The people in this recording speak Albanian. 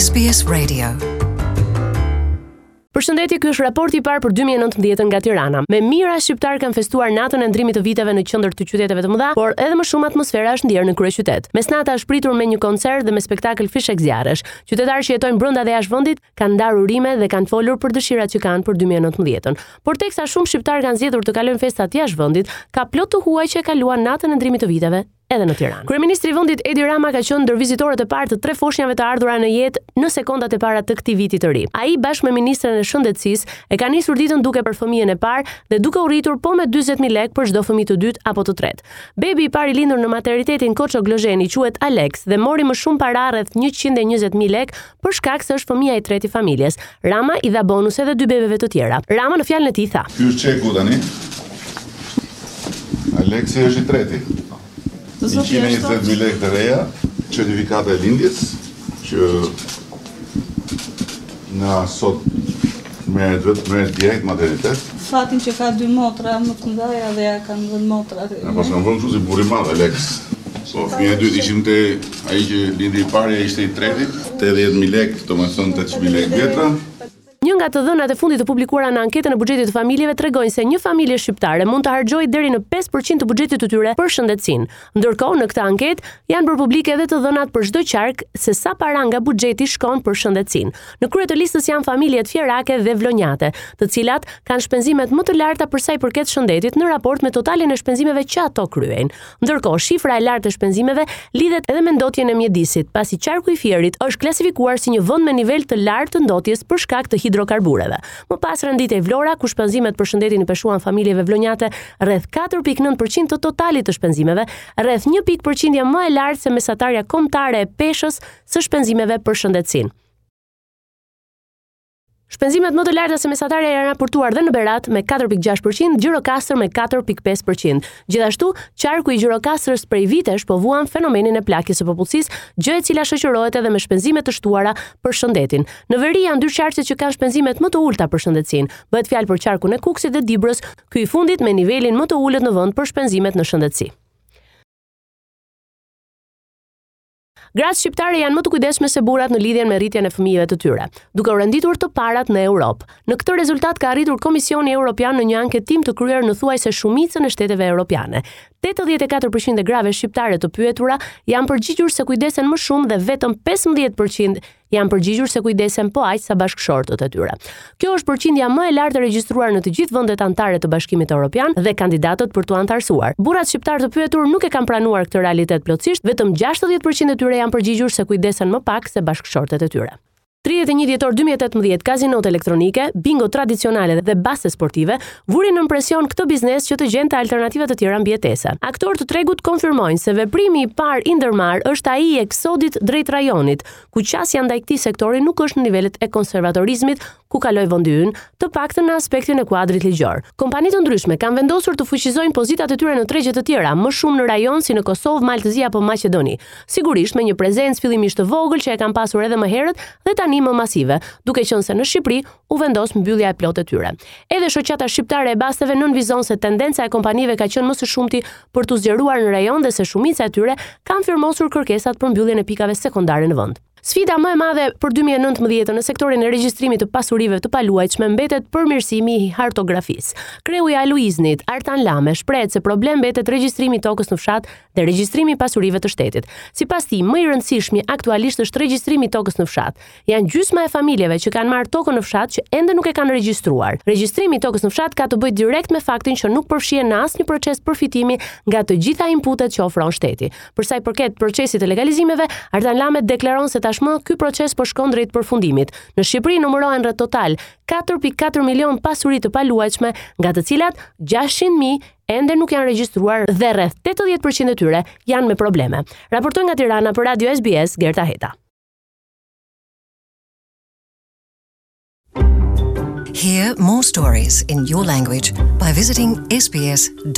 SBS Radio. Përshëndetje, ky është raporti i parë për 2019 nga Tirana. Me mijëra shqiptarë kanë festuar natën e ndrimit të viteve në qendër të qyteteve të mëdha, por edhe më shumë atmosfera është ndjerë në kryeqytet. Mesnata është pritur me një koncert dhe me spektakël fishekzjarresh. Qytetarë që jetojnë brenda dhe jashtë vendit kanë ndarë urime dhe kanë folur për dëshirat që kanë për 2019-ën. Por teksa shumë shqiptarë kanë zgjedhur të kalojnë festat jashtë vendit, ka plot të huaj që e kaluan natën e ndrimit të viteve edhe në Tiranë. Kryeministri i vendit Edi Rama ka qenë ndër vizitorët e parë të tre foshnjave të ardhura në jetë në sekondat e para të këtij viti të ri. Ai bashkë me ministren e Shëndetësisë e ka nisur ditën duke për fëmijën e parë dhe duke u rritur po me 40000 lekë për çdo fëmijë të dytë apo të tretë. Bebi i parë i lindur në maternitetin Koço Glozheni quhet Alex dhe mori më shumë para rreth 120.000 lekë për shkak se është fëmija i tretë i familjes. Rama i dha bonus edhe dy bebeve të tjera. Rama në fjalën e tij tha. Ky është çeku tani. Aleksi është i treti. 120.000 lekë të reja, certifikata e lindjes që nga sot merret vetë merret direkt maternitet. Fatin që ka dy motra më të mëdha dhe ja kanë vënë motrat. Na paskan vënë kështu si burrë i madh Alex. Po fëmija e dytë ishim te ai që lindi i pari, ai ishte i treti, 80000 lekë, domethënë 8000 lekë vjetra. Një nga të dhënat e fundit të publikuara në anketën e buxhetit të familjeve tregojnë se një familje shqiptare mund të harxhojë deri në 5% të buxhetit të tyre për shëndetësinë. Ndërkohë, në këtë anketë janë bërë publike edhe të dhënat për çdo qark se sa para nga buxheti shkon për shëndetësinë. Në krye të listës janë familjet fierake dhe vlonjate, të cilat kanë shpenzimet më të larta për sa i përket shëndetit në raport me totalin e shpenzimeve që ato kryejnë. Ndërkohë, shifra e lartë e shpenzimeve lidhet edhe me ndotjen e mjedisit, pasi qarku i Fierit është klasifikuar si një vend me nivel të lartë të ndotjes për shkak të hidrokarbureve. Më pas renditej Vlora, ku shpenzimet për shëndetin i peshuan familjeve vlonjate rreth 4.9% të totalit të shpenzimeve, rreth 1 pikë përqindje më e lartë se mesatarja kombëtare e peshës së shpenzimeve për shëndetësinë. Shpenzimet më të larta se mesatarja janë raportuar dhe në Berat me 4.6%, Gjirokastër me 4.5%. Gjithashtu, qarku i Gjirokastrës prej vitesh po vuan fenomenin e plakjes së popullsisë, gjë e cila shoqërohet edhe me shpenzime të shtuara për shëndetin. Në veri janë dy qarqet që kanë shpenzimet më të ulëta për shëndetësinë. Bëhet fjalë për qarkun e Kukësit dhe Dibrës, ky i fundit me nivelin më të ulët në vend për shpenzimet në shëndetësi. Gratë shqiptare janë më të kujdesshme se burrat në lidhjen me rritjen e fëmijëve të tyre, duke u renditur të parat në Europë. Në këtë rezultat ka arritur Komisioni Europian në një anketim të kryer në thuajse shumicën e shteteve europiane. 84% e grave shqiptare të pyetura janë përgjigjur se kujdesen më shumë dhe vetëm 15% janë përgjigjur se kujdesen po aq sa bashkëshortët e tyre. Kjo është përqindja më e lartë e regjistruar në të gjithë vendet anëtare të Bashkimit Evropian dhe kandidatët për t'u anëtarësuar. Burrat shqiptarë të pyetur nuk e kanë pranuar këtë realitet plotësisht, vetëm 60% e tyre janë përgjigjur se kujdesen më pak se bashkëshortët e tyre. 31 dhjetor 2018, kazinot elektronike, bingo tradicionale dhe baste sportive vuri nën presion këtë biznes që të gjente alternativa të tjera mbijetese. Aktorë të tregut konfirmojnë se veprimi i parë i ndërmarrë është ai i eksodit drejt rajonit, ku qasja ndaj këtij sektori nuk është në nivelet e konservatorizmit ku kaloi vendi ynë, të paktën në aspektin e kuadrit ligjor. Kompani të ndryshme kanë vendosur të fuqizojnë pozitat e tyre në tregje të tjera, më shumë në rajon si në Kosovë, Mal të Zi apo Maqedoni. Sigurisht me një prezencë fillimisht të vogël që e kanë pasur edhe më herët dhe tani më masive, duke qenë se në Shqipëri u vendos mbyllja e plotë e tyre. Edhe Shoqata Shqiptare e Basteve nënvizon se tendenca e kompanive ka qenë më së shumti për t'u zgjeruar në rajon dhe se shumica e tyre kanë firmosur kërkesat për mbylljen e pikave sekondare në vend. Sfida më e madhe për 2019 në sektorin e regjistrimit të pasurive të paluajtshme mbetet përmirësimi i hartografisë. Kreu i Aluizni-t, Artan Lame, shprehet se problem mbetet regjistrimi i tokës në fshat dhe regjistrimi i pasurive të shtetit. Sipas tij, më i rëndësishmi aktualisht është regjistrimi i tokës në fshat. Janë gjysma e familjeve që kanë marrë tokën në fshat që ende nuk e kanë regjistruar. Regjistrimi i tokës në fshat ka të bëjë direkt me faktin që nuk përfshihen në asnjë proces përfitimi nga të gjitha inputet që ofron shteti. Për sa i përket procesit të legalizimeve, Artan Lame deklaron se tashmë ky proces po shkon drejt përfundimit. Në Shqipëri numërohen rreth total 4.4 milion pasuri të paluajtshme, nga të cilat 600.000 ende nuk janë regjistruar dhe rreth 80% e tyre janë me probleme. Raportoi nga Tirana për Radio SBS Gerta Heta. Hear more stories in your language by visiting sbs.com.au.